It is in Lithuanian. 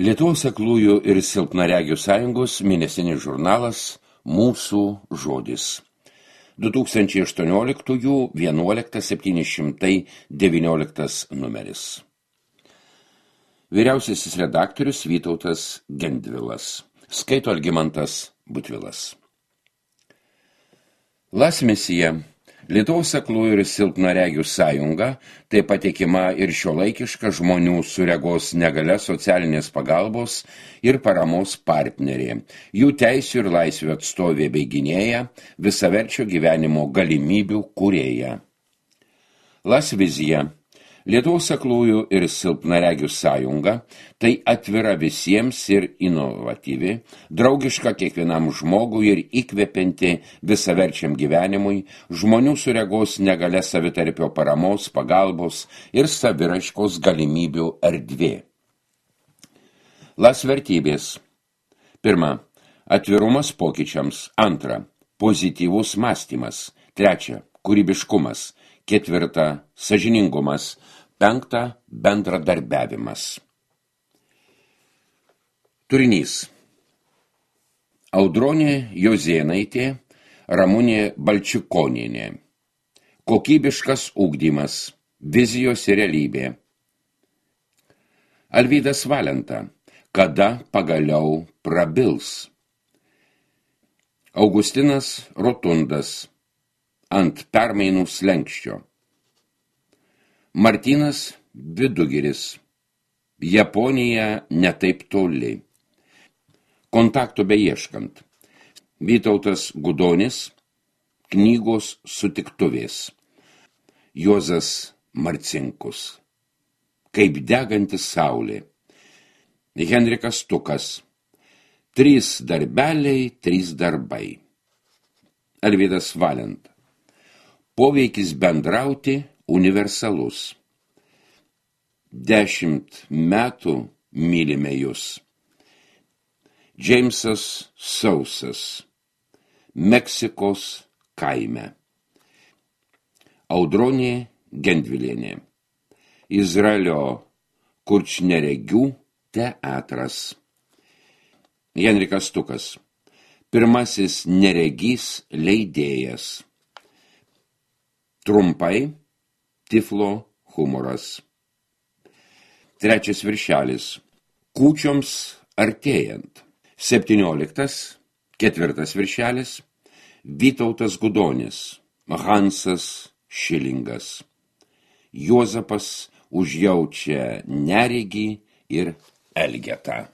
Lietuvos aklųjų ir silpnaregių sąjungos mėnesinis žurnalas Mūsų žodis. 2018-11-719 numeris. Vyriausiasis redaktorius Vytautas Gendvilas. Skaito Algimantas Butvilas. Lasmisija. Lietuvos aklųjų ir silpnaregių sąjunga tai patikima ir šiuolaikiška žmonių su regos negalia socialinės pagalbos ir paramos partnerė, jų teisių ir laisvių atstovė bei gynėja, visaverčio gyvenimo galimybių kūrėja. Lasvizija. Lietuvos aklųjų ir silpnaregių sąjunga tai atvira visiems ir inovatyvi, draugiška kiekvienam žmogui ir įkvepianti visaverčiam gyvenimui, žmonių su regos negalia savitarpio paramos, pagalbos ir saviraiškos galimybių erdvė. Lasvertybės. 1. Atvirumas pokyčiams. 2. Pozityvus mąstymas. 3. Kūrybiškumas. 4. Sąžiningumas. 5. Bendradarbiavimas. Turinys. Audronė Jozėnaitė, Ramunė Balčikonienė. Kokybiškas ugdymas. Vizijos ir realybė. Alvydas Valenta. Kada pagaliau prabils. Augustinas Rotundas. Ant permainų slenksčio. Martynas Vidugiris. Japonija netaip toli. Kontakto beieškant. Vytautas Gudonis. Knygos sutiktuvės. Juozas Marcinkus. Kaip deganti saulė. Henrikas Tukas. 3 darbeliai, 3 darbai. Alvydas Valenta. Poveikis bendrauti universalus. 10 metų mylime jūs. Džeimsas Sausas. Meksikos kaime. Audronė Gendvilienė. Izraelio kurčneregių teatras. Henrikas Tukas. Pirmasis neregys leidėjas. Trumpai, Tiflo humoras. 3 viršelis. Kūčioms artėjant. 17. 4 viršelis. Vytautas Gudonis. Hansas Šilingas. Juozapas užjaučia neregį ir elgetą.